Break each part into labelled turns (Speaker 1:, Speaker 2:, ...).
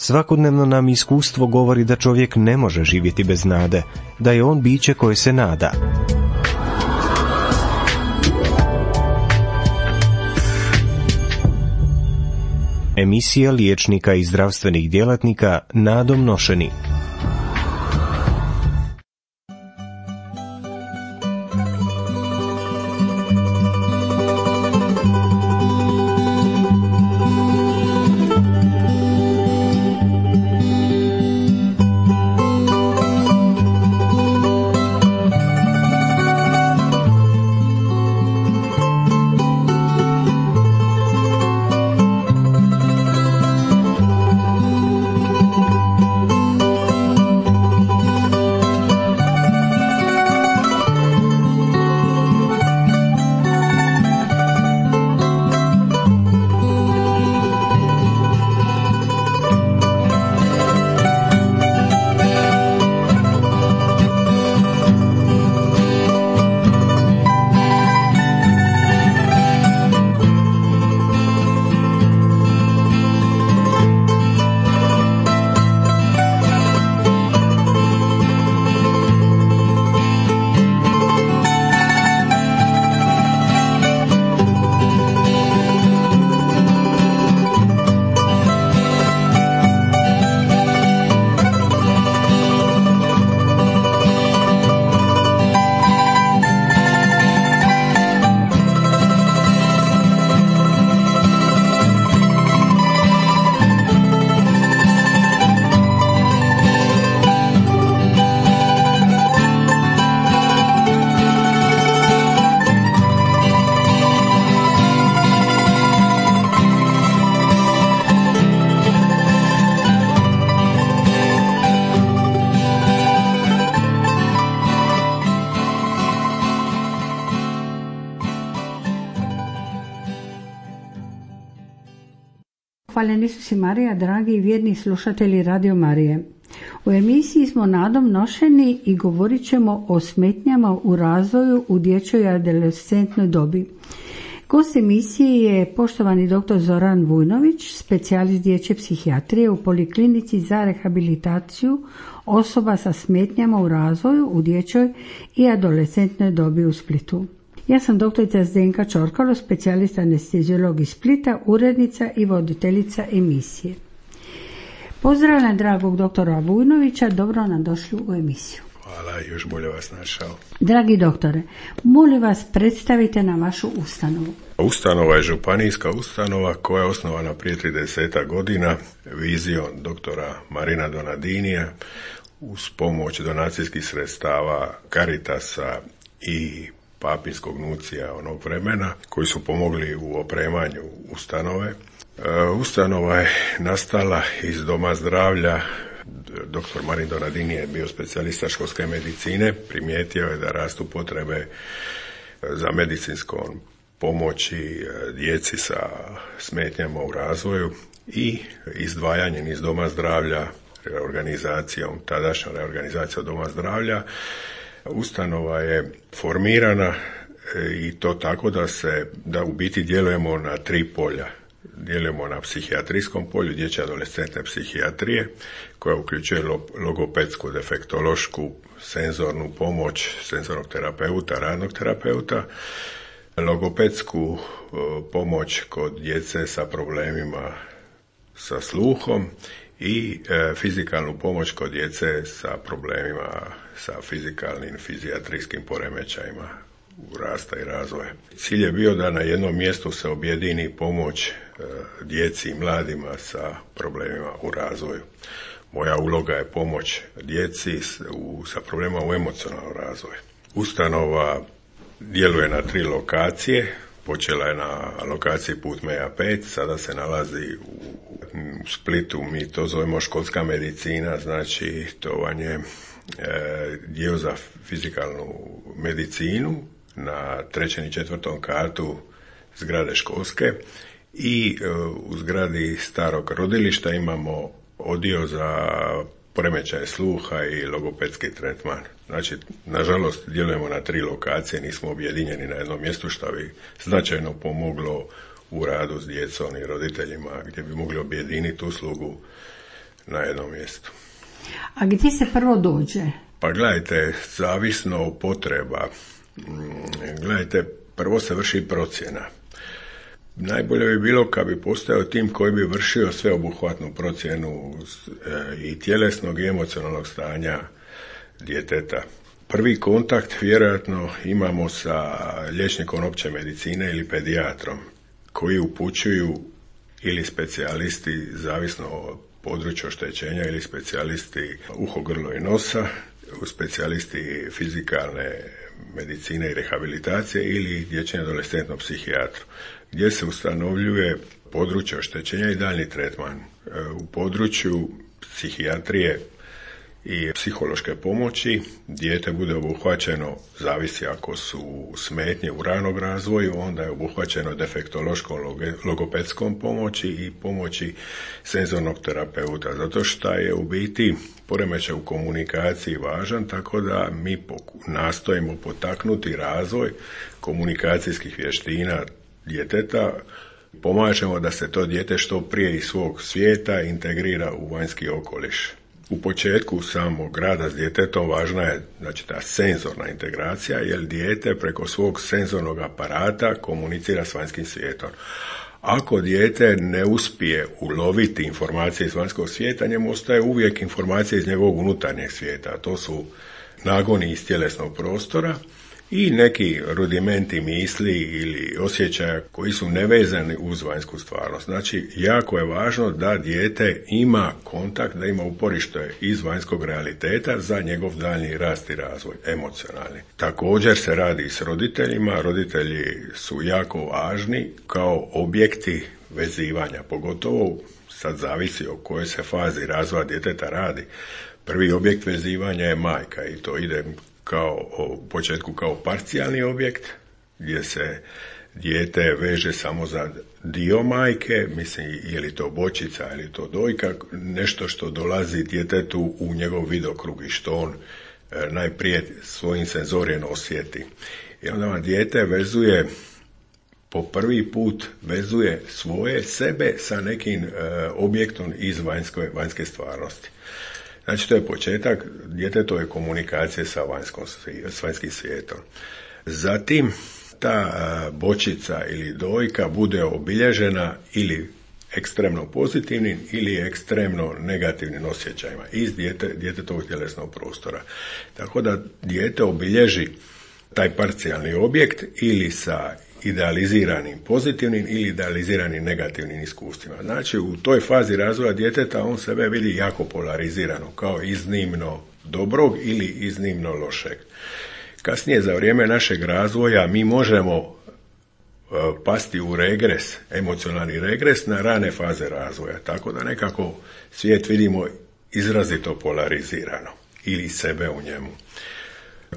Speaker 1: Svakodnevno nam iskustvo govori da čovjek ne može živjeti bez nade, da je on biće koje se nada. Emisija liječnika i zdravstvenih djelatnika nadom nošeni.
Speaker 2: Hvaljeni Isus i Marija, dragi i vjerni slušatelji Radio Marije. U emisiji smo nadom nošeni i govorit ćemo o smetnjama u razvoju u dječjoj i adolescentnoj dobi. Gost emisije je poštovani dr. Zoran Vujnović, specijalist dječje psihijatrije u Poliklinici za rehabilitaciju osoba sa smetnjama u razvoju u dječjoj i adolescentnoj dobi u Splitu. Ja sam doktorica Zdenka Čorkalo, specijalist anesteziolog iz Splita, urednica i voditeljica emisije. Pozdravljam dragog doktora Vujnovića, dobro nam došli u emisiju.
Speaker 3: Hvala, još bolje vas našao.
Speaker 2: Dragi doktore, molim vas predstavite nam vašu ustanovu.
Speaker 3: Ustanova je županijska ustanova koja je osnovana prije 30 godina vizijom doktora Marina Donadinija uz pomoć donacijskih sredstava Caritasa i papinskog nucija onog vremena koji su pomogli u opremanju ustanove. Ustanova je nastala iz doma zdravlja. Dr. Marin Donadini je bio specijalista školske medicine, primijetio je da rastu potrebe za medicinskom pomoći djeci sa smetnjama u razvoju i izdvajanjem iz doma zdravlja, tadašnjom reorganizacijom doma zdravlja, ustanova je formirana i to tako da u biti djelujemo na 3 polja. Djelujemo na psihijatrijskom polju dječje adolescentne psihijatrije koja uključuje logopedsku, defektološku, senzornu pomoć senzornog terapeuta, radnog terapeuta, logopedsku pomoć kod djece sa problemima sa sluhom i fizikalnu pomoć kod djece sa problemima sa fizikalnim, fizijatrijskim poremećajima rasta i razvoja. Cilj je bio da na jednom mjestu se objedini pomoć djeci i mladima sa problemima u razvoju. Moja uloga je pomoć djeci sa problemima u emocionalnom razvoju. Ustanova djeluje na 3 lokacije. Počela je na lokaciji Putmeja 5, sada se nalazi u Splitu, mi to zovemo školska medicina, znači to vam je dio za fizikalnu medicinu na 3. i 4. katu zgrade školske i u zgradi starog rodilišta imamo odio za poremećaje sluha i logopedski tretman. Znači, nažalost, djelujemo na 3 lokacije, nismo objedinjeni na jednom mjestu, što bi značajno pomoglo u radu s djecom i roditeljima, gdje bi mogli objediniti uslugu na jednom mjestu.
Speaker 2: A gdje se prvo dođe?
Speaker 3: Pa gledajte, zavisno od potreba. Gledajte, prvo se vrši procjena. Najbolje bi bilo kad bi postojao tim koji bi vršio sveobuhvatnu procjenu i tjelesnog i emocionalnog stanja djeteta. Prvi kontakt vjerojatno imamo sa liječnikom opće medicine ili pedijatrom, koji upućuju ili specijalisti, zavisno od područja oštećenja, ili specijalisti uho, grlo i nosa, specijalisti fizikalne medicine i rehabilitacije ili dječjem adolescentnom psihijatru, gdje se ustanovljuje područje oštećenja i daljnji tretman. U području psihijatrije i psihološke pomoći dijete bude obuhvaćeno, zavisi ako su smetnje u ranog razvoju, onda je obuhvaćeno defektološkom logopedskom pomoći i pomoći senzornog terapeuta, zato što je u biti poremećaj u komunikaciji važan, tako da mi nastojimo potaknuti razvoj komunikacijskih vještina djeteta, pomažemo da se to dijete što prije iz svog svijeta integrira u vanjski okoliš. U početku samog rada s djetetom važna je, znači, ta senzorna integracija, jer dijete preko svog senzornog aparata komunicira s vanjskim svijetom. Ako dijete ne uspije uloviti informacije iz vanjskog svijeta, njemu ostaje uvijek informacije iz njegovog unutarnjeg svijeta. To su nagoni iz tjelesnog prostora i neki rudimenti misli ili osjećaja koji su nevezani uz vanjsku stvarnost. Znači, jako je važno da dijete ima kontakt, da ima uporište iz vanjskog realiteta za njegov daljnji rast i razvoj, emocionalni. Također se radi s roditeljima. Roditelji su jako važni kao objekti vezivanja, pogotovo sad zavisi o kojoj se fazi razvoja djeteta radi. Prvi objekt vezivanja je majka i to ide u početku kao parcijalni objekt, gdje se dijete veže samo za dio majke, mislim, je li to bočica ili to dojka, nešto što dolazi djetetu u njegov vidokrug i što on najprije svojim senzorijem osjeti. I onda vam dijete vezuje, po prvi put vezuje svoje sebe sa nekim objektom iz vanjske stvarnosti. Znači, to je početak djetetove komunikacije sa vanjskim svijetom. Zatim, ta bočica ili dojka bude obilježena ili ekstremno pozitivnim ili ekstremno negativnim osjećajima iz djetetovog tjelesnog prostora. Tako da dijete obilježi taj parcijalni objekt ili sa idealiziranim pozitivnim ili idealiziranim negativnim iskustvima. Znači, u toj fazi razvoja djeteta on sebe vidi jako polarizirano, kao iznimno dobrog ili iznimno lošeg. Kasnije, za vrijeme našeg razvoja, mi možemo pasti u regres, emocionalni regres na rane faze razvoja, tako da nekako svijet vidimo izrazito polarizirano ili sebe u njemu.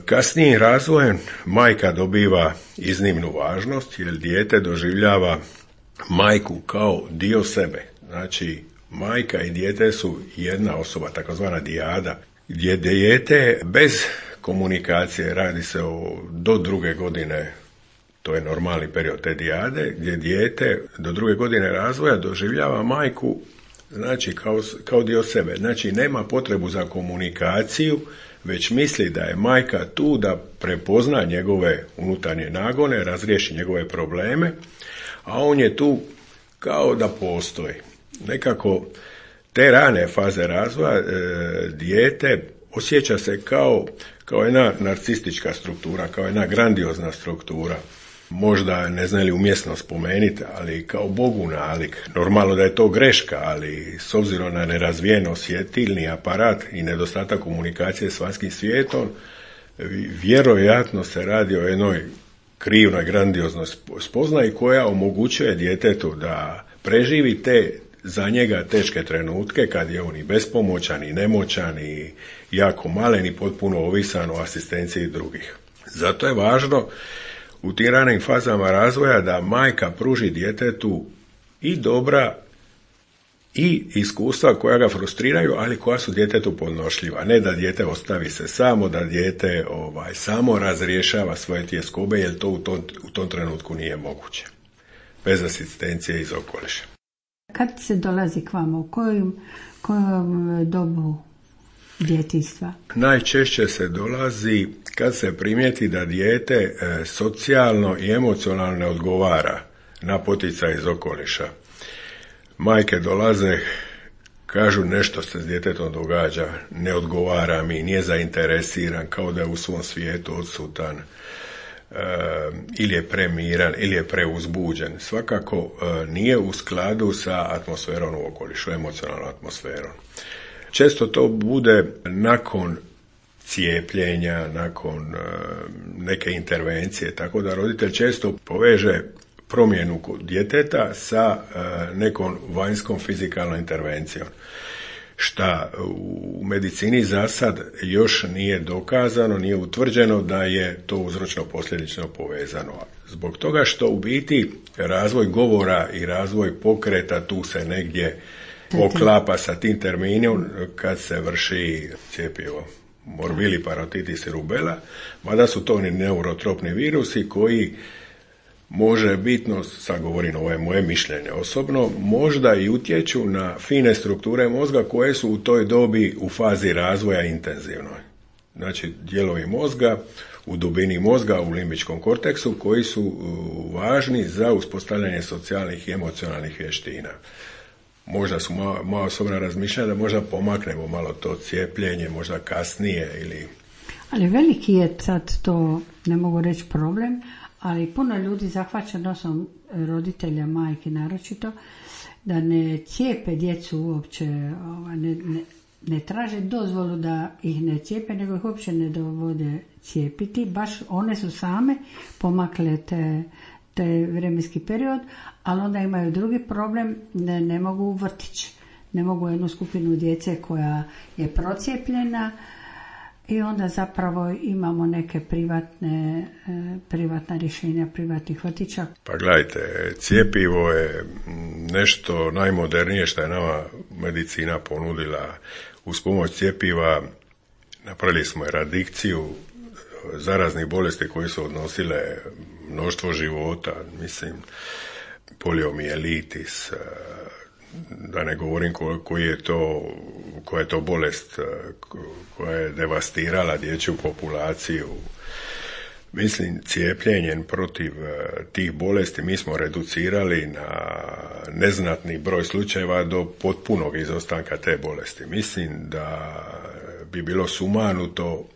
Speaker 3: Kasnijim razvojem majka dobiva iznimnu važnost, jer dijete doživljava majku kao dio sebe. Znači, majka i dijete su jedna osoba, takozvana dijada, gdje dijete bez komunikacije, radi se do 2. godine, to je normalni period te dijade, gdje dijete do 2. godine razvoja doživljava majku, znači, kao dio sebe. Znači, nema potrebu za komunikaciju, već misli da je majka tu da prepozna njegove unutarnje nagone, razriješi njegove probleme, a on je tu kao da postoji. Nekako te rane faze razvoja dijete osjeća se kao jedna narcistička struktura, kao jedna grandiozna struktura. Možda, ne znam li umjesno spomenuti, ali kao Bogu nalik. Normalno da je to greška, ali s obzirom na nerazvijen osjetilni aparat i nedostatak komunikacije s vanjskim svijetom, vjerojatno se radi o jednoj krivnoj, grandiознoj spoznaji koja omogućuje djetetu da preživi te za njega teške trenutke kad je on i bespomoćan i nemoćan i jako malen i potpuno ovisan o asistenciji drugih. Zato je važno u tim ranim fazama razvoja da majka pruži djetetu i dobra i iskustva koja ga frustriraju, ali koja su djetetu podnošljiva. Ne da dijete ostavi se samo, da dijete samo razrješava svoje tjeskobe, jer to u tom trenutku nije moguće. Bez asistencije iz okoliša.
Speaker 2: Kad se dolazi k vama? U kojom dobu djetinjstva?
Speaker 3: Najčešće se dolazi kad se primijeti da dijete socijalno i emocionalno ne odgovara na poticaj iz okoliša. Majke dolaze, kažu nešto se s djetetom događa, ne odgovara mi, nije zainteresiran, kao da je u svom svijetu odsutan, ili je premiran, ili je preuzbuđen. Svakako nije u skladu sa atmosferom u okolišu, emocionalnom atmosferom. Često to bude nakon cijepljenja, nakon neke intervencije, tako da roditelj često poveže promjenu djeteta sa nekom vanjskom fizikalnom intervencijom, šta u medicini za sad još nije dokazano, nije utvrđeno da je to uzročno-posljedično povezano. Zbog toga što u biti razvoj govora i razvoj pokreta tu se negdje oklapa sa tim terminom kad se vrši cjepivo. Morbili, parotitis i rubela, mada su to neurotropni virusi koji može bitno, sad govorim, ovo je moje mišljenje osobno, možda i utječu na fine strukture mozga koje su u toj dobi u fazi razvoja intenzivnoj. Znači, dijelovi mozga u dubini mozga, u limbičkom korteksu, koji su važni za uspostavljanje socijalnih i emocionalnih vještina. Možda su moja osobna razmišljanja da možda pomaknemo malo to cijepljenje, možda kasnije ili...
Speaker 2: Ali veliki je sad to, ne mogu reći problem, ali puno ljudi zahvaća nosom, roditelja, majke naročito, da ne cijepe djecu uopće, ne traže dozvolu da ih ne cijepe, nego ih uopće ne dovode cijepiti. Baš one su same pomakle taj vremenski period, ali onda imaju drugi problem, ne mogu u vrtić. Ne mogu jednu skupinu djece koja je procijepljena i onda zapravo imamo neke privatna rješenja privatnih vrtića.
Speaker 3: Pa gledajte, cjepivo je nešto najmodernije što je nama medicina ponudila. Uz pomoć cjepiva napravili smo eradikciju zaraznih bolesti koje su odnosile mnoštvo života, mislim, poliomijelitis, da ne govorim koja je to bolest koja je devastirala dječju populaciju. Mislim, cijepljenjem protiv tih bolesti mi smo reducirali na neznatni broj slučajeva do potpunog izostanka te bolesti. Mislim da bi bilo sumanuto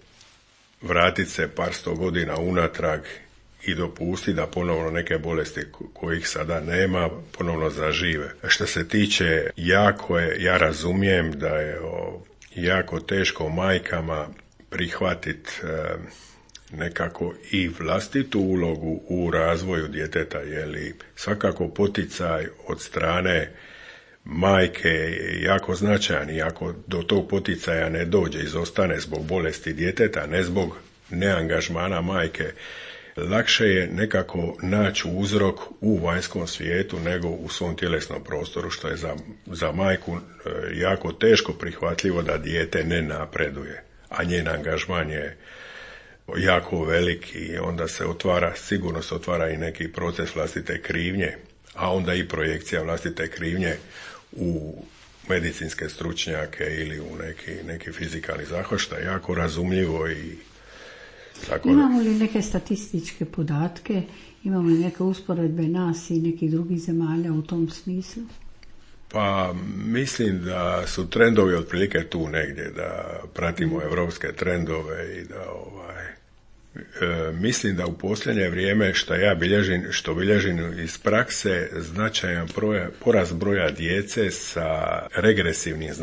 Speaker 3: vratiti se par sto godina unatrag i dopustiti da ponovno neke bolesti kojih sada nema ponovno zažive. Što se tiče ja razumijem da je jako teško majkama prihvatiti nekako i vlastitu ulogu u razvoju djeteta, jer svakako poticaj od strane majke je jako značajan i ako do tog poticaja ne dođe, izostane zbog bolesti djeteta, ne zbog neangažmana majke, lakše je nekako naći uzrok u vanjskom svijetu nego u svom tjelesnom prostoru, što je za majku jako teško prihvatljivo da dijete ne napreduje, a njen angažman je jako velik i onda sigurno se otvara i neki proces vlastite krivnje, a onda i projekcija vlastite krivnje u medicinske stručnjake ili u neki fizikalni zahvat, što je jako razumljivo i tako.
Speaker 2: Imamo li neke statističke podatke, imamo li neke usporedbe nas i nekih drugih zemalja u tom smislu?
Speaker 3: Pa mislim da su trendovi otprilike tu negdje, da pratimo evropske trendove i da mislim da u posljednje vrijeme što bilježim iz prakse značajan porast broja djece sa regresivnim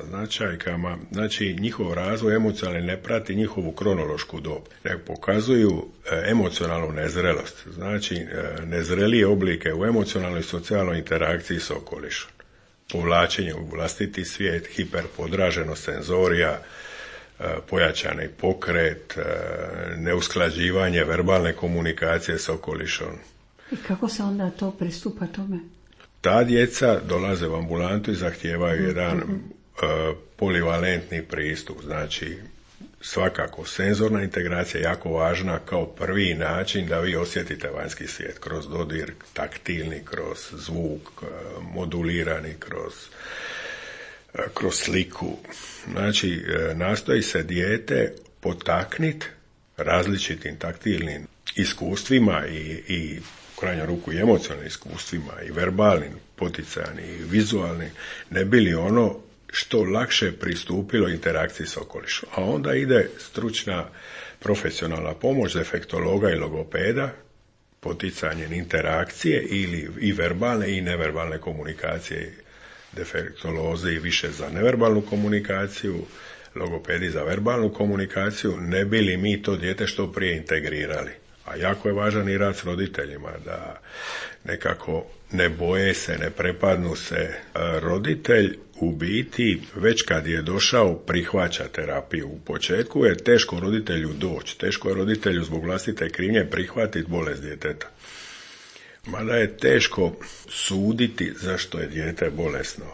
Speaker 3: značajkama, znači njihov razvoj emocionalni ne prati njihovu kronološku dob, nego pokazuju emocionalnu nezrelost, znači nezrelije oblike u emocionalnoj i socijalnoj interakciji s okolišom, povlačenje u vlastiti svijet, hiperpodraženost senzorija, pojačani pokret, neusklađivanje verbalne komunikacije s okolišom.
Speaker 2: I kako se onda to pristupa tome?
Speaker 3: Ta djeca dolaze u ambulantu i zahtijevaju jedan polivalentni pristup, znači svakako senzorna integracija je jako važna kao prvi način da vi osjetite vanjski svijet kroz dodir, taktilni, kroz zvuk, modulirani, kroz sliku. Znači, nastoji se dijete potakniti različitim taktilnim iskustvima i u krajnju ruku i emocionalnim iskustvima i verbalnim, poticajnim i vizualnim, ne bi li ono što lakše pristupilo interakciji s okolišom. A onda ide stručna profesionalna pomoć defektologa i logopeda, poticanjem interakcije ili i verbalne i neverbalne komunikacije. Defektolozi više za neverbalnu komunikaciju, logopedi za verbalnu komunikaciju, ne bi li mi to dijete što prije integrirali. A jako je važan i rad s roditeljima, da nekako ne boje se, ne prepadnu se. Roditelj u biti, već kad je došao, prihvaća terapiju. U početku je teško roditelju doći, teško je roditelju zbog vlastite krivnje prihvatiti bolest djeteta. Mada je teško suditi zašto je dijete bolesno.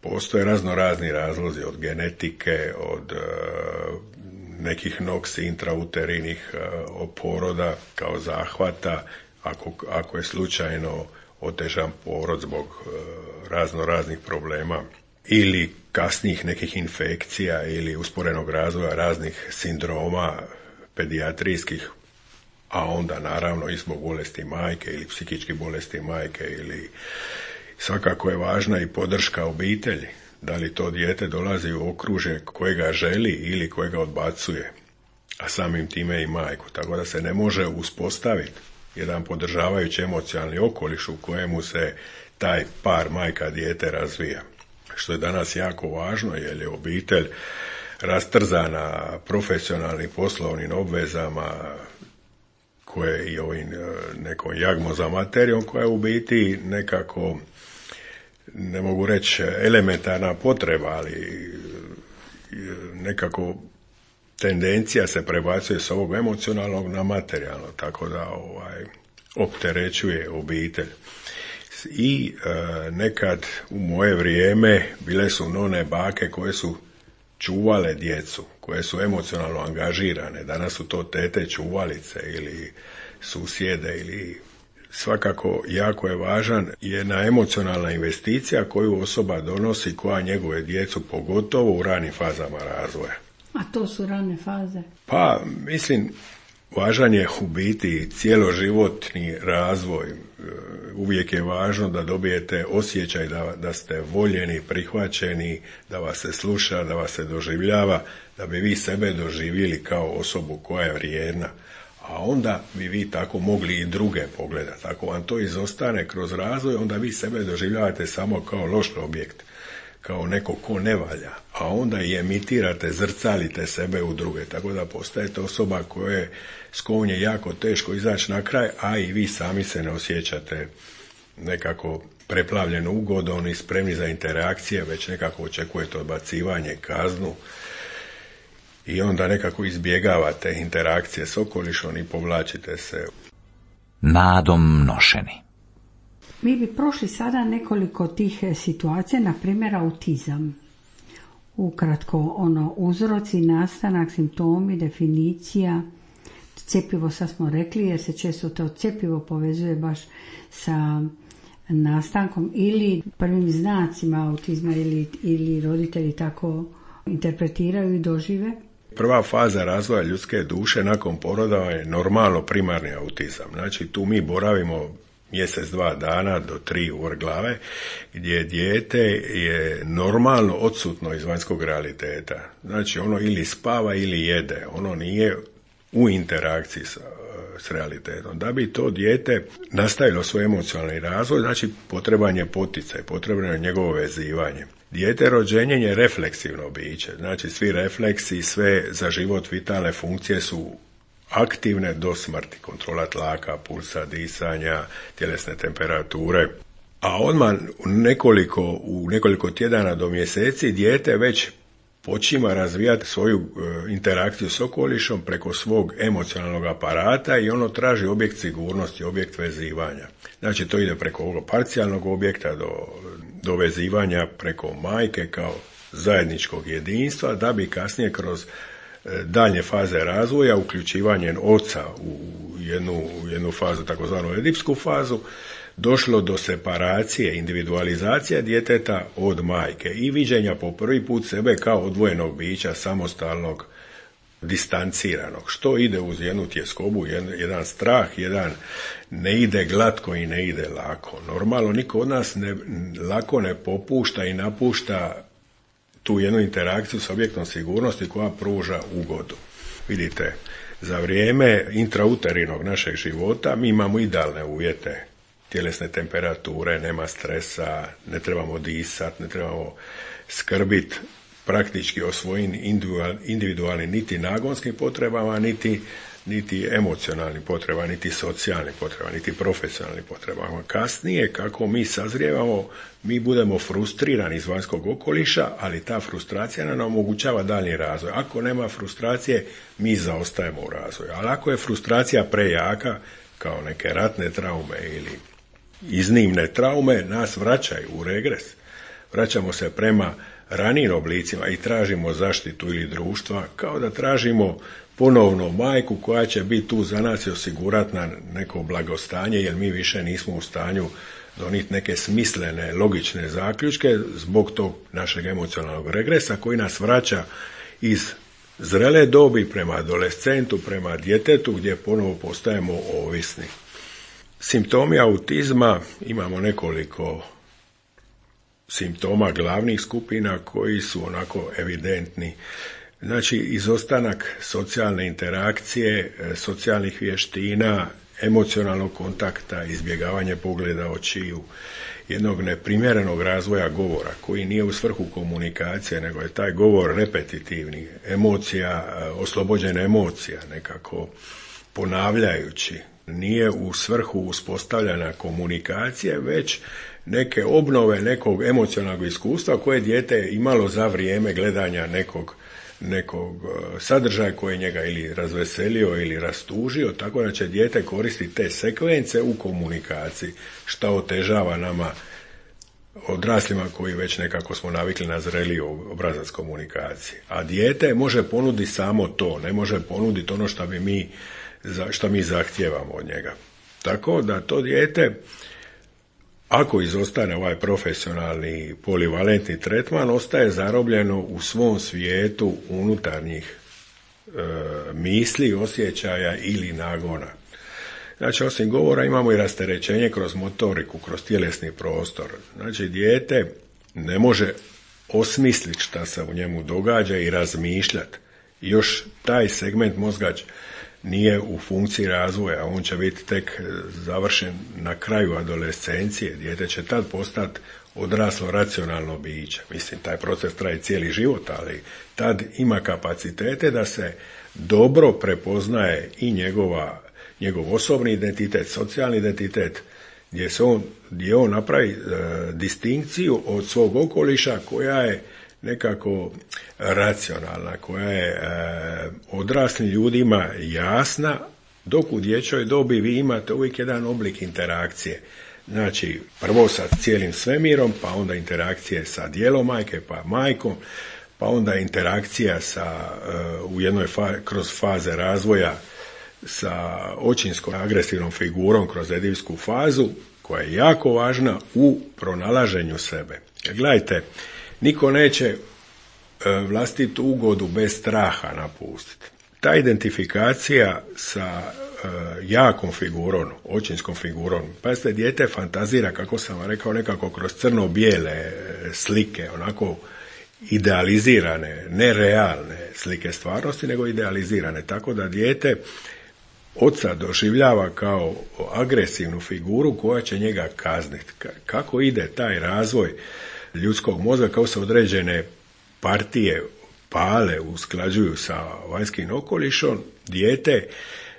Speaker 3: Postoje razni razlozi, od genetike, od nekih noksi intrauterinnih poroda kao zahvata, ako je slučajno otežan porod zbog raznih problema, ili kasnijih nekih infekcija ili usporenog razvoja raznih sindroma pedijatrijskih, a onda naravno i zbog bolesti majke ili psihičkih bolesti majke, ili svakako je važna i podrška obitelji. Da li to dijete dolazi u okružje kojega želi ili kojega odbacuje, a samim time i majku. Tako da se ne može uspostaviti jedan podržavajući emocionalni okoliš u kojemu se taj par majka-dijete razvija. Što je danas jako važno, jer je obitelj rastrzana profesionalnim poslovnim obvezama, koje i ovim nekom jagmo za materijom, koja je u biti nekako, ne mogu reći elementarna potreba, ali nekako tendencija se prebacuje s ovog emocionalnog na materijalno, tako da opterećuje obitelj. I nekad u moje vrijeme bile su none bake koje su čuvale djecu, koje su emocionalno angažirane. Danas su to tete čuvalice ili susjede, ili svakako jako je važan jedna emocionalna investicija koju osoba donosi, koja njeguje djecu, pogotovo u ranim fazama razvoja.
Speaker 2: A to su rane faze?
Speaker 3: Pa, mislim, važan je u biti cijeloživotni razvoj. Uvijek je važno da dobijete osjećaj da ste voljeni, prihvaćeni, da vas se sluša, da vas se doživljava, da bi vi sebe doživjeli kao osobu koja je vrijedna. A onda bi vi tako mogli i druge pogledati. Ako vam to izostane kroz razvoj, onda vi sebe doživljavate samo kao loš objekt, kao neko ko ne valja, a onda i emitirate, zrcalite sebe u druge, tako da postajete osoba s kojom je jako teško izaći na kraj, a i vi sami se ne osjećate nekako preplavljeno ugodom i spremni za interakcije, već nekako očekujete odbacivanje, kaznu, i onda nekako izbjegavate interakcije s okolišom i povlačite se.
Speaker 4: Nadom nošeni.
Speaker 2: Mi bi prošli sada nekoliko tih situacija, na primjer autizam. Ukratko, uzroci, nastanak, simptomi, definicija, cjepivo sad smo rekli, jer se često to cjepivo povezuje baš sa nastankom ili prvim znacima autizma, ili roditelji tako interpretiraju i dožive.
Speaker 3: Prva faza razvoja ljudske duše nakon poroda je normalno primarni autizam. Znači, tu mi boravimo mjesec, 2 dana do 3 u vrh glave, gdje dijete je normalno odsutno iz vanjskog realiteta. Znači, ono ili spava ili jede, ono nije u interakciji s realitetom. Da bi to dijete nastavilo svoj emocionalni razvoj, znači potreban je poticaj, potrebno je njegovo vezivanje. Dijete rođenjem je refleksivno biće, znači svi refleksi, sve za život vitalne funkcije su aktivne do smrti, kontrola tlaka, pulsa, disanja, tjelesne temperature. A odmah u nekoliko tjedana do mjeseci dijete već počima razvijati svoju interakciju s okolišom preko svog emocionalnog aparata i ono traži objekt sigurnosti, objekt vezivanja. Znači to ide preko ovog parcijalnog objekta do vezivanja preko majke kao zajedničkog jedinstva, da bi kasnije kroz daljnje faze razvoja, uključivanjem oca u jednu fazu, takozvanu edipsku fazu, došlo do separacije, individualizacije djeteta od majke i viđenja po prvi put sebe kao odvojenog bića, samostalnog, distanciranog, što ide uz jednu tjeskobu, jedan strah, ne ide glatko i ne ide lako. Normalno, niko od nas lako ne popušta i napušta tu jednu interakciju s objektom sigurnosti koja pruža ugodu. Vidite, za vrijeme intrauterinnog našeg života mi imamo idealne uvjete, tjelesne temperature, nema stresa, ne trebamo disati, ne trebamo skrbiti praktički o svojim individualnim niti nagonskim potrebama, niti emocionalnim potrebama, niti socijalnim potrebama, niti profesionalnim potrebama. Kasnije, kako mi sazrijevamo, mi budemo frustrirani iz vanjskog okoliša, ali ta frustracija nam omogućava daljnji razvoj. Ako nema frustracije, mi zaostajemo u razvoju. Ali ako je frustracija prejaka, kao neke ratne traume ili iznimne traume, nas vraćaju u regres. Vraćamo se prema ranijim oblicima i tražimo zaštitu ili društva, kao da tražimo ponovno majku koja će biti tu za nas i osigurati nam neko blagostanje, jer mi više nismo u stanju donijeti neke smislene, logične zaključke zbog tog našeg emocionalnog regresa koji nas vraća iz zrele dobi prema adolescentu, prema djetetu gdje ponovo postajemo ovisni. Simptomi autizma, imamo nekoliko simptoma glavnih skupina koji su onako evidentni. Znači, izostanak socijalne interakcije, socijalnih vještina, emocionalnog kontakta, izbjegavanje pogleda očiju, jednog neprimjerenog razvoja govora koji nije u svrhu komunikacije, nego je taj govor repetitivni, oslobođen emocija, nekako ponavljajući. Nije u svrhu uspostavljanja komunikacije, već neke obnove nekog emocionalnog iskustva koje dijete imalo za vrijeme gledanja nekog sadržaja koji je njega ili razveselio ili rastužio, tako da će dijete koristiti te sekvence u komunikaciji, što otežava nama odraslima koji već nekako smo navikli na zreliji obrazac komunikacije. A dijete može ponuditi samo to, ne može ponuditi ono što mi zahtijevamo od njega. Tako da to dijete, ako izostane ovaj profesionalni polivalentni tretman, ostaje zarobljeno u svom svijetu unutarnjih misli, osjećaja ili nagona. Znači, osim govora imamo i rasterećenje kroz motoriku, kroz tjelesni prostor. Znači, dijete ne može osmisliti šta se u njemu događa i razmišljati. Još taj segment mozga nije u funkciji razvoja, on će biti tek završen na kraju adolescencije. Dijete će tad postati odraslo racionalno biće. Mislim, taj proces traje cijeli život, ali tad ima kapacitete da se dobro prepoznaje i njegov osobni identitet, socijalni identitet, gdje on napravi distinkciju od svog okoliša koja je nekako racionalna, koja je odraslim ljudima jasna, dok u dječjoj dobi vi imate uvijek jedan oblik interakcije. Znači, prvo sa cijelim svemirom, pa onda interakcije sa dijelom majke, pa majkom, pa onda interakcija u jednoj kroz faze razvoja sa očinskom agresivnom figurom kroz edipsku fazu, koja je jako važna u pronalaženju sebe. Gledajte, niko neće vlastitu ugodu bez straha napustiti. Ta identifikacija sa jakom figurom, očinskom figurom, pazite, dijete fantazira, kako sam vam rekao, nekako kroz crno-bijele slike, onako idealizirane, nerealne slike stvarnosti, nego idealizirane. Tako da dijete oca doživljava kao agresivnu figuru koja će njega kazniti. Kako ide taj razvoj ljudskog mozga, kao se određene partije pale, usklađuju sa vanjskim okolišom, dijete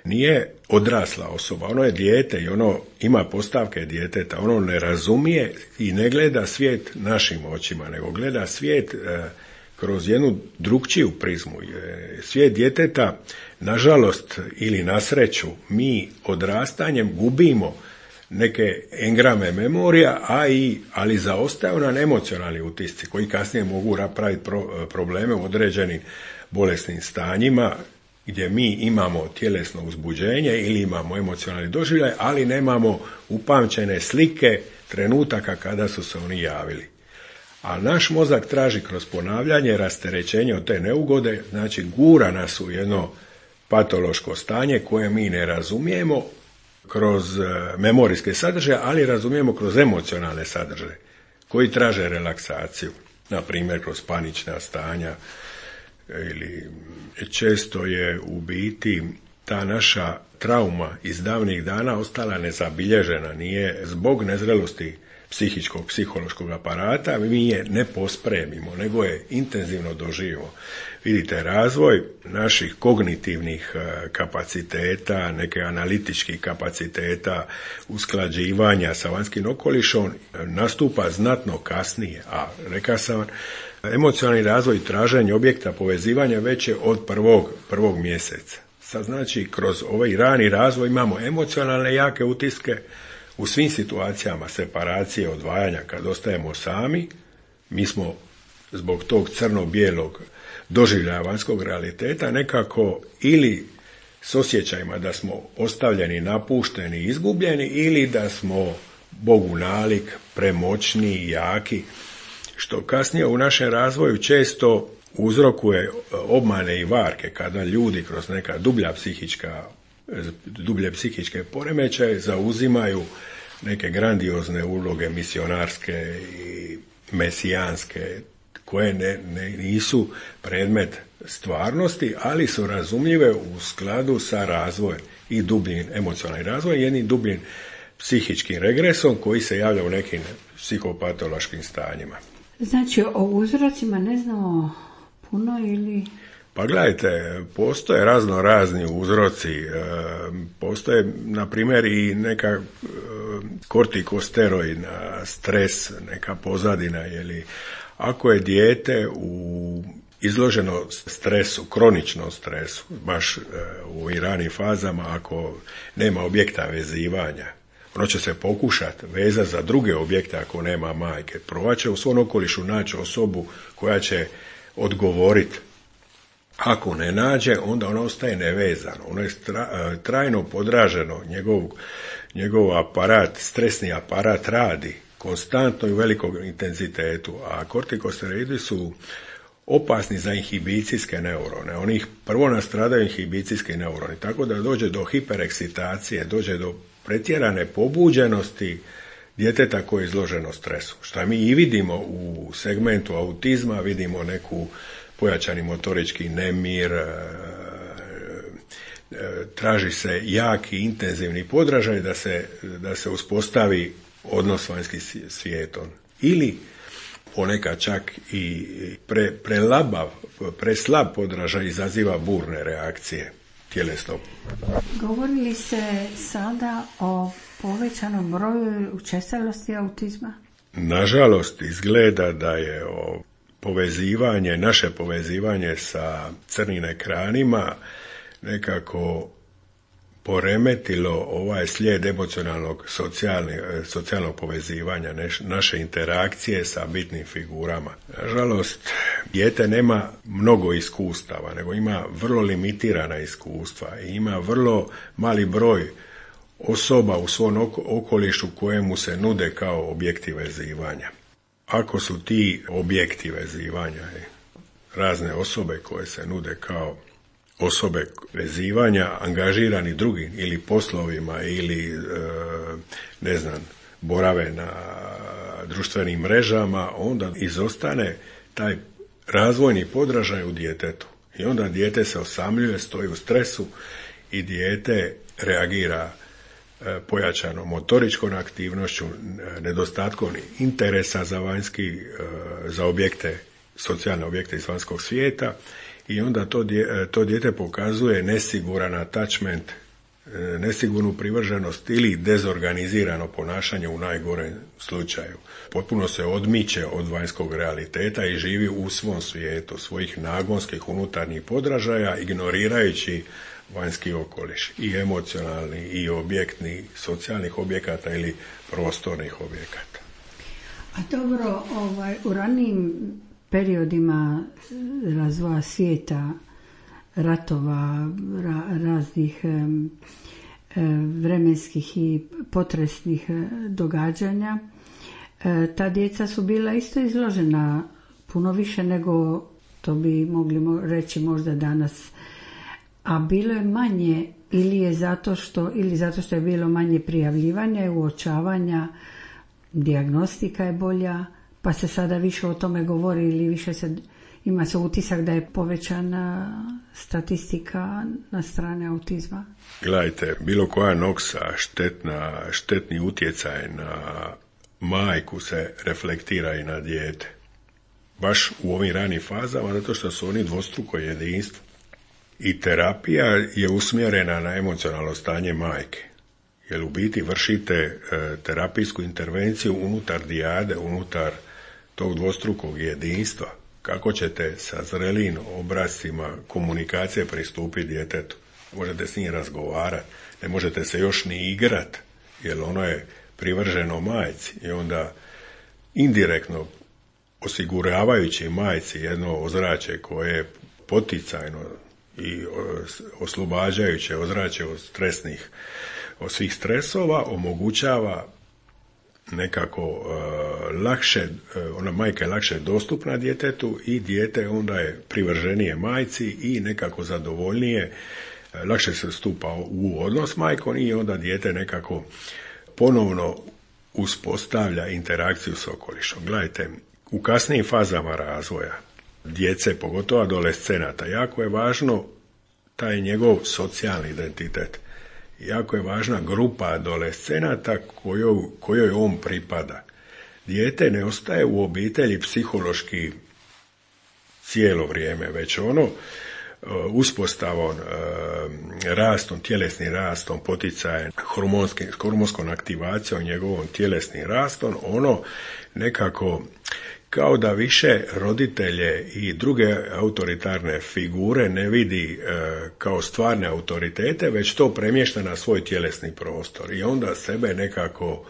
Speaker 3: nije odrasla osoba, ono je dijete i ono ima postavke djeteta, ono ne razumije i ne gleda svijet našim očima, nego gleda svijet kroz jednu drukčiju prizmu. Svijet djeteta, nažalost ili na sreću, mi odrastanjem gubimo neke engrame memorija, ali zaostaju nam emocionalni utisci koji kasnije mogu napraviti probleme u određenim bolesnim stanjima gdje mi imamo tjelesno uzbuđenje ili imamo emocionalni doživljaj, ali nemamo upamćene slike trenutaka kada su se oni javili. A naš mozak traži kroz ponavljanje rasterećenje od te neugode, znači gura nas u jedno patološko stanje koje mi ne razumijemo kroz memorijske sadržaje, ali razumijemo kroz emocionalne sadržaje koji traže relaksaciju, na primjer kroz panična stanja, ili često je u biti ta naša trauma iz davnih dana ostala nezabilježena, nije zbog nezrelosti psihičkog, psihološkog aparata, mi je ne pospremimo, nego je intenzivno doživimo. Vidite, razvoj naših kognitivnih kapaciteta, neke analitičkih kapaciteta, usklađivanja sa vanjskim okolišom nastupa znatno kasnije, a rekao sam, emocionalni razvoj i traženje objekta povezivanja već je od prvog mjeseca. Sad znači, kroz ovaj rani razvoj imamo emocionalne jake utiske u svim situacijama separacije, odvajanja, kad ostajemo sami, mi smo zbog tog crno-bijelog doživljaja vanjskog realiteta nekako ili s osjećajima da smo ostavljeni, napušteni, izgubljeni, ili da smo Bogu nalik, premoćni i jaki, što kasnije u našem razvoju često uzrokuje obmane i varke, kada ljudi kroz neka dublje psihičke poremećaje zauzimaju neke grandiozne uloge misionarske i mesijanske, koje nisu predmet stvarnosti, ali su razumljive u skladu sa razvojem i dubljim emocionalnim razvojem, jednim dubljim psihičkim regresom koji se javlja u nekim psihopatološkim stanjima.
Speaker 2: Znači, o uzrocima ne znamo puno ili...
Speaker 3: Pa gledajte, postoje razni uzroci, postoje na primjer i neka kortikosteroidna stres, neka pozadina, jeli ako je dijete izloženo stresu, kroničnom stresu, baš u ovim ranim fazama, ako nema objekta vezivanja, ono će se pokušati vezati za druge objekte ako nema majke. Provat će u svom okolišu naći osobu koja će odgovoriti. Ako ne nađe, onda ono ostaje nevezano. Ono je trajno podraženo, njegov aparat, stresni aparat radi konstantno i u velikom intenzitetu, a kortikosteroidi su opasni za inhibicijske neurone. Oni prvo nastradaju inhibicijski neuroni, tako da dođe do hiperekscitacije, dođe do pretjerane pobuđenosti djeteta koje je izloženo stresu. Što mi i vidimo u segmentu autizma, vidimo neku pojačani motorički nemir, traži se jaki, intenzivni podražaj da se uspostavi odnos s vanjskim svijetom. Ili ponekad čak i preslab podražaj izaziva burne reakcije tjelesno.
Speaker 2: Govorili se sada o povećanom broju učestalosti autizma?
Speaker 3: Nažalost, izgleda da je naše povezivanje sa crnim ekranima nekako poremetilo ovaj slijed emocionalnog socijalnog povezivanja, naše interakcije sa bitnim figurama. Nažalost, dijete nema mnogo iskustava, nego ima vrlo limitirana iskustva i ima vrlo mali broj osoba u svom okolišu kojemu se nude kao objekti vezivanja. Ako su ti objekti vezivanja razne osobe koje se nude kao osobe vezivanja angažirani drugim ili poslovima ili borave na društvenim mrežama, onda izostane taj razvojni podražaj u djetetu. I onda dijete se osamljuje, stoji u stresu i dijete reagira pojačanom motoričkom aktivnošću, nedostatkom interesa za objekte, socijalne objekte iz vanjskog svijeta, i onda to dijete pokazuje nesiguran attachment nesigurnu privrženost ili dezorganizirano ponašanje u najgorem slučaju. Potpuno se odmiče od vanjskog realiteta i živi u svom svijetu, svojih nagonskih unutarnjih podražaja, ignorirajući vanjski okoliš, i emocionalni, i objektni, socijalnih objekata ili prostornih objekata.
Speaker 2: A dobro, u ranijim periodima razvoja svijeta, ratova, raznih vremenskih i potresnih događanja, ta djeca su bila isto izložena puno više nego to bi mogli reći možda danas. A bilo je manje ili zato što je bilo manje prijavljivanja i uočavanja, dijagnostika je bolja, pa se sada više o tome govori ili više ima se utisak da je povećana statistika na strane autizma.
Speaker 3: Gledajte, bilo koja noksa, štetni utjecaj na majku se reflektira i na dijete. Baš u ovim ranim fazama, zato što su oni dvostruko jedinstvo. I terapija je usmjerena na emocionalno stanje majke. Jer u biti vršite terapijsku intervenciju unutar dijade, unutar tog dvostrukog jedinstva. Kako ćete sa zrelim obrascima komunikacije pristupiti djetetu? Možete s njim razgovarati, ne možete se još ni igrati, jer ono je privrženo majci i onda indirektno osiguravajući majci jedno ozračje koje je poticajno i oslobađajuće ozračje od svih stresova, omogućava nekako lakše, ona majka je lakše dostupna djetetu i dijete onda je privrženije majci i nekako zadovoljnije, lakše se stupa u odnos s majkom i onda dijete nekako ponovno uspostavlja interakciju s okolišom. Gledajte, u kasnijim fazama razvoja djece, pogotovo adolescenata, jako je važno taj njegov socijalni identitet. Jako je važna grupa adolescenata kojoj on pripada. Dijete ne ostaje u obitelji psihološki cijelo vrijeme, već ono uspostavom, rastom, tjelesnim rastom, poticajem, hormonskom aktivacijom, njegovom tjelesnim rastom, ono nekako kao da više roditelje i druge autoritarne figure ne vidi kao stvarne autoritete, već to premješta na svoj tjelesni prostor i onda sebe nekako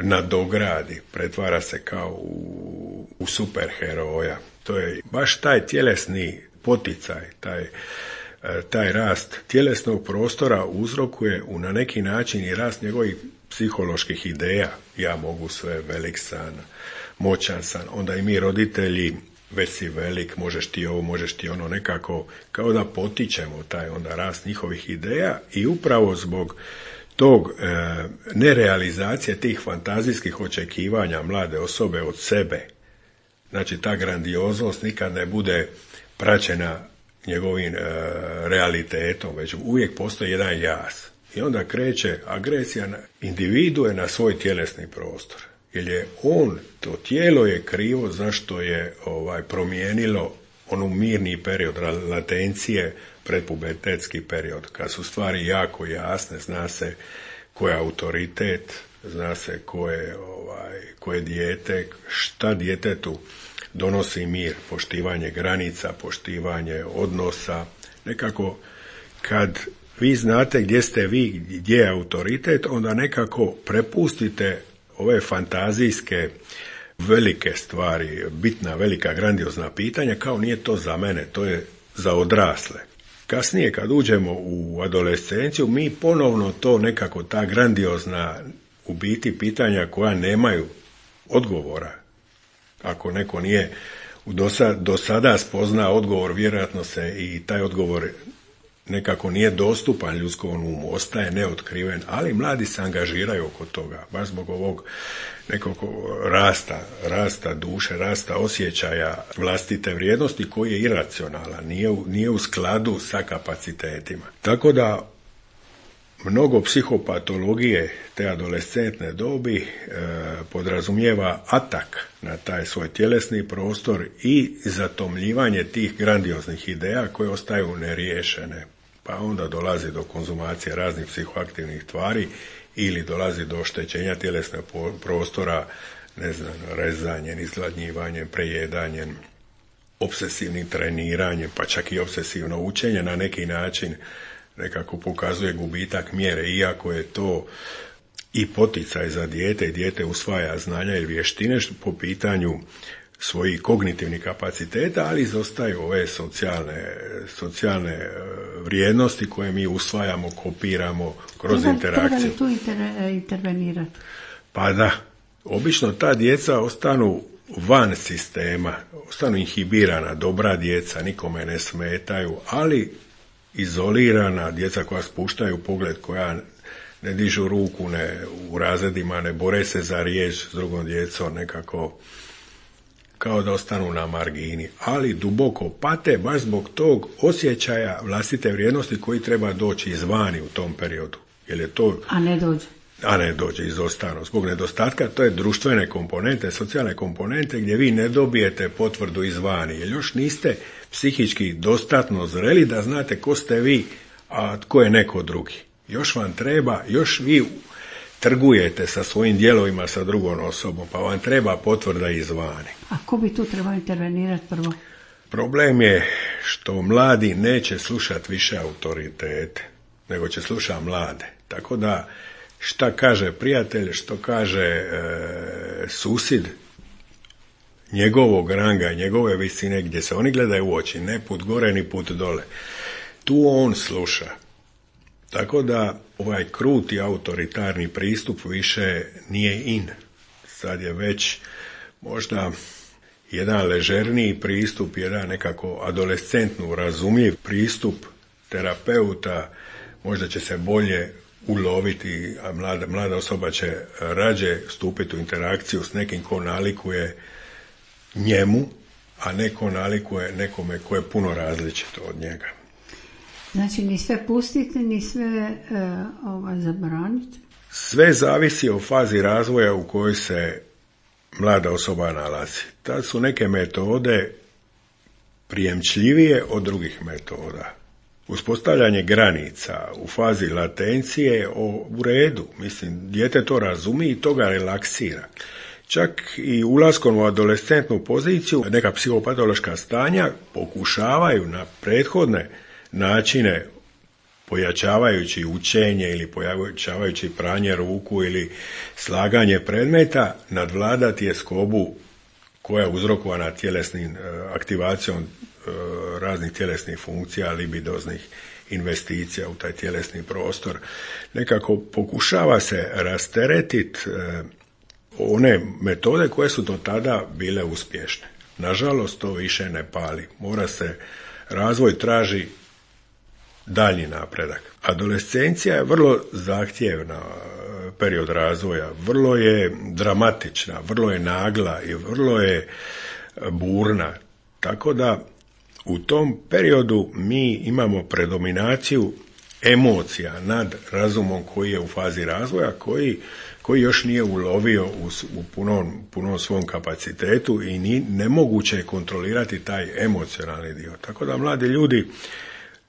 Speaker 3: nadogradi, pretvara se kao u superheroja. To je baš taj tjelesni poticaj, taj rast tjelesnog prostora uzrokuje na neki način i rast njegovih psiholoških ideja. Ja mogu sve, velik sam, moćan sam, onda i mi roditelji, već si velik, možeš ti ovo, možeš ti ono, nekako kao da potičemo taj onda rast njihovih ideja i upravo zbog tog nerealizacije tih fantazijskih očekivanja mlade osobe od sebe, znači ta grandioznost nikad ne bude praćena njegovim realitetom, već uvijek postoji jedan jaz. I onda kreće agresija na individue na svoj tjelesni prostor. Jer je to tijelo je krivo zašto je promijenilo onu mirni period latencije, predpubertetski period, kad su stvari jako jasne, zna se ko je autoritet, zna se ko je dijete, šta djetetu donosi mir, poštivanje granica, poštivanje odnosa. Nekako kad vi znate gdje ste vi, gdje je autoritet, onda nekako prepustite ove fantazijske velike stvari, bitna, velika, grandiozna pitanja, kao nije to za mene, to je za odrasle. Kasnije kad uđemo u adolescenciju, mi ponovno to nekako, ta grandiozna u biti pitanja koja nemaju odgovora. Ako neko nije do sada spozna odgovor, vjerojatno se i taj odgovor nekako nije dostupan ljudskom umu, ostaje neotkriven, ali mladi se angažiraju oko toga, baš zbog ovog nekog rasta duše, rasta osjećaja vlastite vrijednosti koji je iracionalan, nije u skladu sa kapacitetima. Tako da mnogo psihopatologije te adolescentne dobi podrazumijeva atak na taj svoj tjelesni prostor i zatomljivanje tih grandioznih ideja koje ostaju neriješene. pa onda dolazi do konzumacije raznih psihoaktivnih tvari ili dolazi do oštećenja tjelesnog prostora, ne znam, rezanjem, izgladnjivanjem, prejedanjem, obsesivnim treniranjem, pa čak i obsesivno učenje na neki način nekako pokazuje gubitak mjere, iako je to i poticaj za dijete i dijete usvaja znanja i vještine po pitanju svojih kognitivnih kapaciteta, ali izostaju ove socijalne vrijednosti koje mi usvajamo, kopiramo kroz interakciju.
Speaker 2: Treba li tu intervenirati?
Speaker 3: Pa da, obično ta djeca ostanu van sistema, ostanu inhibirana, dobra djeca, nikome ne smetaju, ali izolirana djeca koja spuštaju pogled, koja ne dižu ruku u razredima, ne bore se za riječ s drugom djecom, nekako kao da ostanu na margini, ali duboko pate baš zbog tog osjećaja vlastite vrijednosti koji treba doći izvani u tom periodu. Jer je to, a ne dođe izostano. Zbog nedostatka, to je društvene komponente, socijalne komponente gdje vi ne dobijete potvrdu izvani, jer još niste psihički dostatno zreli da znate ko ste vi, a tko je neko drugi. Još vam treba, još vi trgujete sa svojim dijelovima sa drugom osobom, pa vam treba potvrda izvani.
Speaker 2: A ko bi tu trebao intervenirati prvo?
Speaker 3: Problem je što mladi neće slušati više autoritete, nego će slušati mlade. Tako da šta kaže prijatelj, što kaže susjed njegovog ranga, njegove visine, gdje se oni gledaju u oči, ne put gore ni put dole. Tu on sluša. Tako da ovaj kruti autoritarni pristup više nije in. Sad je već možda jedan ležerniji pristup, jedan nekako adolescentno razumljiv pristup terapeuta, možda će se bolje uloviti, a mlada osoba će rađe stupiti u interakciju s nekim ko nalikuje njemu, a neko nalikuje nekome ko je puno različito od njega.
Speaker 2: Znači, ni sve pustiti, ni sve zabraniti?
Speaker 3: Sve zavisi o fazi razvoja u kojoj se mlada osoba nalazi. Tad su neke metode prijemčljivije od drugih metoda. Uspostavljanje granica u fazi latencije je u redu. Mislim, dijete to razumije i to ga relaksira. Čak i ulaskom u adolescentnu poziciju neka psihopatološka stanja pokušavaju na prethodne načine, pojačavajući učenje ili pojačavajući pranje ruku ili slaganje predmeta, nadvladati tjeskobu koja je uzrokovana tjelesnim aktivacijom raznih tjelesnih funkcija, libidoznih investicija u taj tjelesni prostor. Nekako pokušava se rasteretiti one metode koje su do tada bile uspješne. Nažalost, to više ne pali. Razvoj traži daljnji napredak. Adolescencija je vrlo zahtjevna period razvoja, vrlo je dramatična, vrlo je nagla i vrlo je burna. Tako da u tom periodu mi imamo predominaciju emocija nad razumom koji je u fazi razvoja, koji još nije ulovio u punom svom kapacitetu i nemoguće je kontrolirati taj emocionalni dio. Tako da mladi ljudi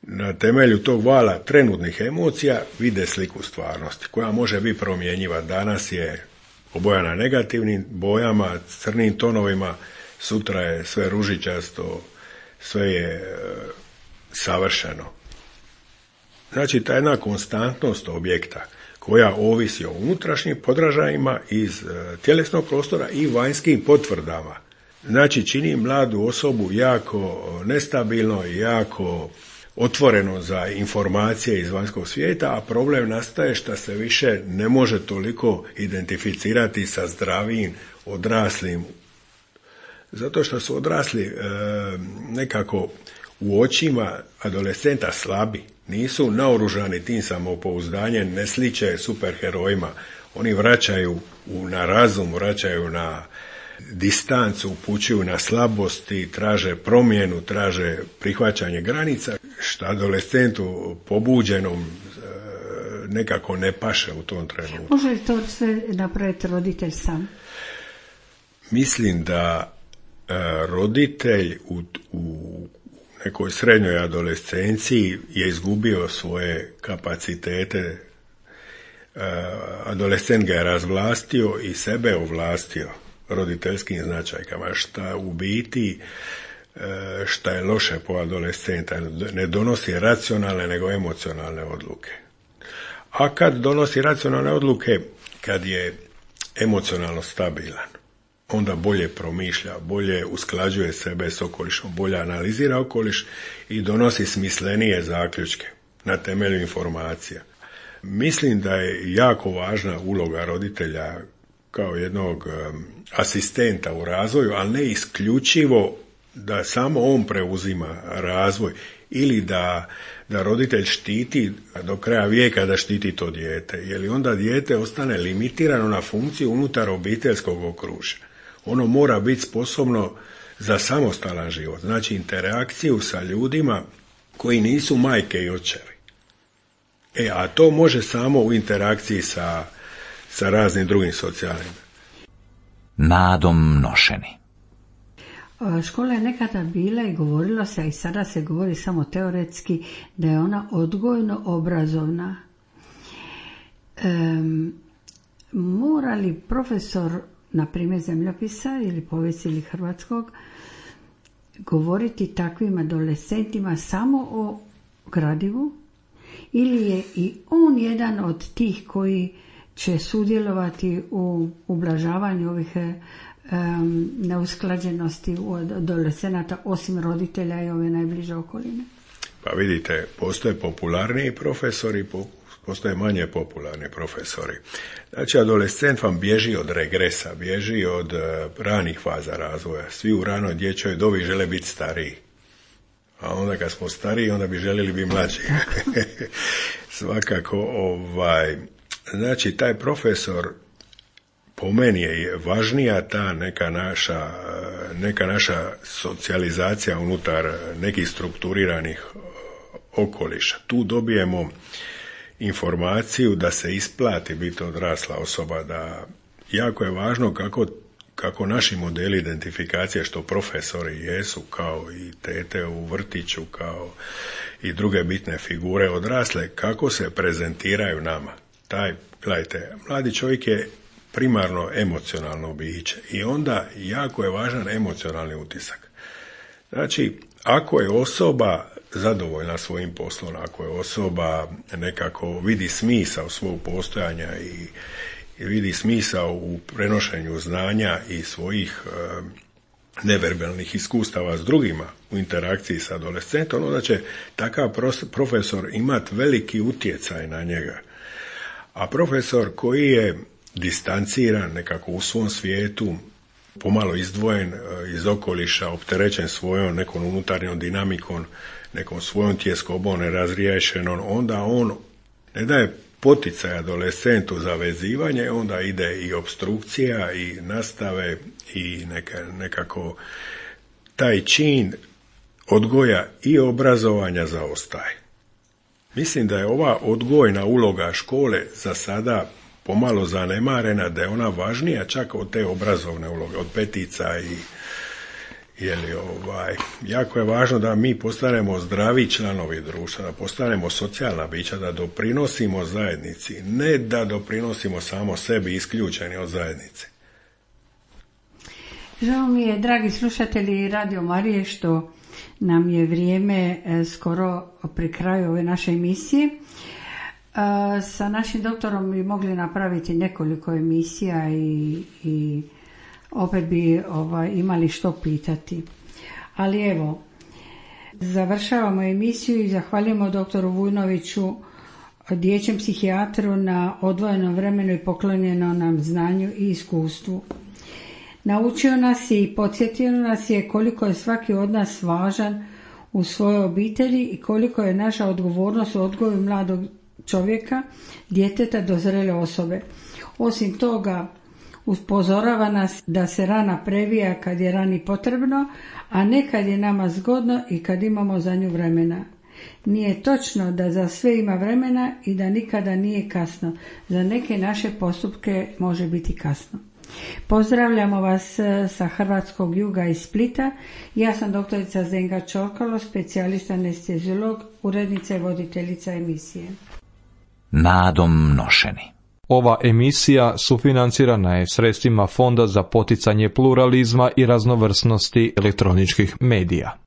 Speaker 3: na temelju tog vala trenutnih emocija vide sliku stvarnosti, koja može biti promjenjiva. Danas je obojana negativnim bojama, crnim tonovima, sutra je sve ružičasto, sve je savršeno. Znači, ta jedna konstantnost objekta koja ovisi o unutrašnjim podražajima iz tjelesnog prostora i vanjskim potvrdama. Znači, čini mladu osobu jako nestabilno i jako otvoreno za informacije iz vanjskog svijeta, a problem nastaje što se više ne može toliko identificirati sa zdravim, odraslim. Zato što su odrasli nekako u očima adolescenta slabi. Nisu naoružani tim samopouzdanjem, ne sliče superherojima. Oni vraćaju na razum, vraćaju na distancu, upućuju na slabosti, traže promjenu, traže prihvaćanje granica, što adolescentu pobuđenom nekako ne paše u tom trenutku.
Speaker 2: Može li to sve napraviti roditelj sam?
Speaker 3: Mislim da roditelj u nekoj srednjoj adolescenciji je izgubio svoje kapacitete. Adolescent ga je razvlastio i sebe ovlastio roditeljskim značajkama, šta u biti, šta je loše po adolescenta, ne donosi racionalne nego emocionalne odluke. A kad donosi racionalne odluke, kad je emocionalno stabilan, onda bolje promišlja, bolje usklađuje sebe s okolišom, bolje analizira okoliš i donosi smislenije zaključke na temelju informacija. Mislim da je jako važna uloga roditelja kao jednog asistenta u razvoju, ali ne isključivo da samo on preuzima razvoj ili da roditelj štiti do kraja vijeka, da štiti to dijete, jer onda dijete ostane limitirano na funkciju unutar obiteljskog okružja. Ono mora biti sposobno za samostalan život, znači interakciju sa ljudima koji nisu majke i očevi. A to može samo u interakciji sa raznim drugim socijalnim.
Speaker 4: Nadom nošeni.
Speaker 2: Škola je nekada bila i govorilo se, i sada se govori samo teoretski, da je ona odgojno obrazovna. Mora li profesor, na primjer zemljopisa ili povijesti ili hrvatskog, govoriti takvim adolescentima samo o gradivu, ili je i on jedan od tih koji će sudjelovati u ublažavanju ovih neusklađenosti u adolescenata, osim roditelja i ove najbliže okoline?
Speaker 3: Pa vidite, postoje popularniji profesori, postoje manje popularni profesori. Znači, adolescent vam bježi od regresa, bježi od ranih faza razvoja. Svi u ranoj dječjoj dobi žele biti stariji. A onda kad smo stariji, onda bi željeli biti mlađi. Svakako, znači, taj profesor, po meni je važnija ta neka naša socijalizacija unutar nekih strukturiranih okoliša. Tu dobijemo informaciju da se isplati biti odrasla osoba, da jako je važno kako naši modeli identifikacije, što profesori jesu, kao i tete u vrtiću, kao i druge bitne figure odrasle, kako se prezentiraju nama. Gledajte, mladi čovjek je primarno emocionalno biće i onda jako je važan emocionalni utisak. Znači, ako je osoba zadovoljna svojim poslom, ako je osoba nekako vidi smisao svog postojanja i vidi smisao u prenošenju znanja i svojih neverbalnih iskustava s drugima u interakciji s adolescentom, onda će takav profesor imati veliki utjecaj na njega. A profesor koji je distanciran nekako u svom svijetu, pomalo izdvojen iz okoliša, opterećen svojom nekom unutarnjom dinamikom, nekom svojom tjeskobom nerazriješenom, onda on ne daje poticaj adolescentu za vezivanje, onda ide i opstrukcija i nastave i nekako taj čin odgoja i obrazovanja zaostaje. Mislim da je ova odgojna uloga škole za sada pomalo zanemarena, da je ona važnija čak od te obrazovne uloge, od petica i jako je važno da mi postanemo zdravi članovi društva, da postanemo socijalna bića, da doprinosimo zajednici, ne da doprinosimo samo sebi isključeni od zajednice.
Speaker 2: Žao mi je, dragi slušatelji Radio Marije, što nam je vrijeme skoro pri kraju ove naše emisije. Sa našim doktorom bi mogli napraviti nekoliko emisija i opet bi imali što pitati. Ali evo, završavamo emisiju i zahvaljujemo doktoru Vujnoviću, dječjem psihijatru, na odvojenom vremenu i poklonjeno nam znanju i iskustvu. Naučio nas je i podsjetio nas je koliko je svaki od nas važan u svojoj obitelji i koliko je naša odgovornost u odgoju mladog čovjeka, djeteta do zrele osobe. Osim toga, upozorava nas da se rana previja kad je rani potrebno, a ne kad je nama zgodno i kad imamo za nju vremena. Nije točno da za sve ima vremena i da nikada nije kasno. Za neke naše postupke može biti kasno. Pozdravljamo vas sa hrvatskog juga iz Splita. Ja sam doktorica Zdenka Čorkalo, specijalista anesteziolog, urednica i voditeljica emisije.
Speaker 4: Nadom nošeni.
Speaker 5: Ova emisija sufinancirana je sredstvima Fonda za poticanje pluralizma i raznovrsnosti elektroničkih medija.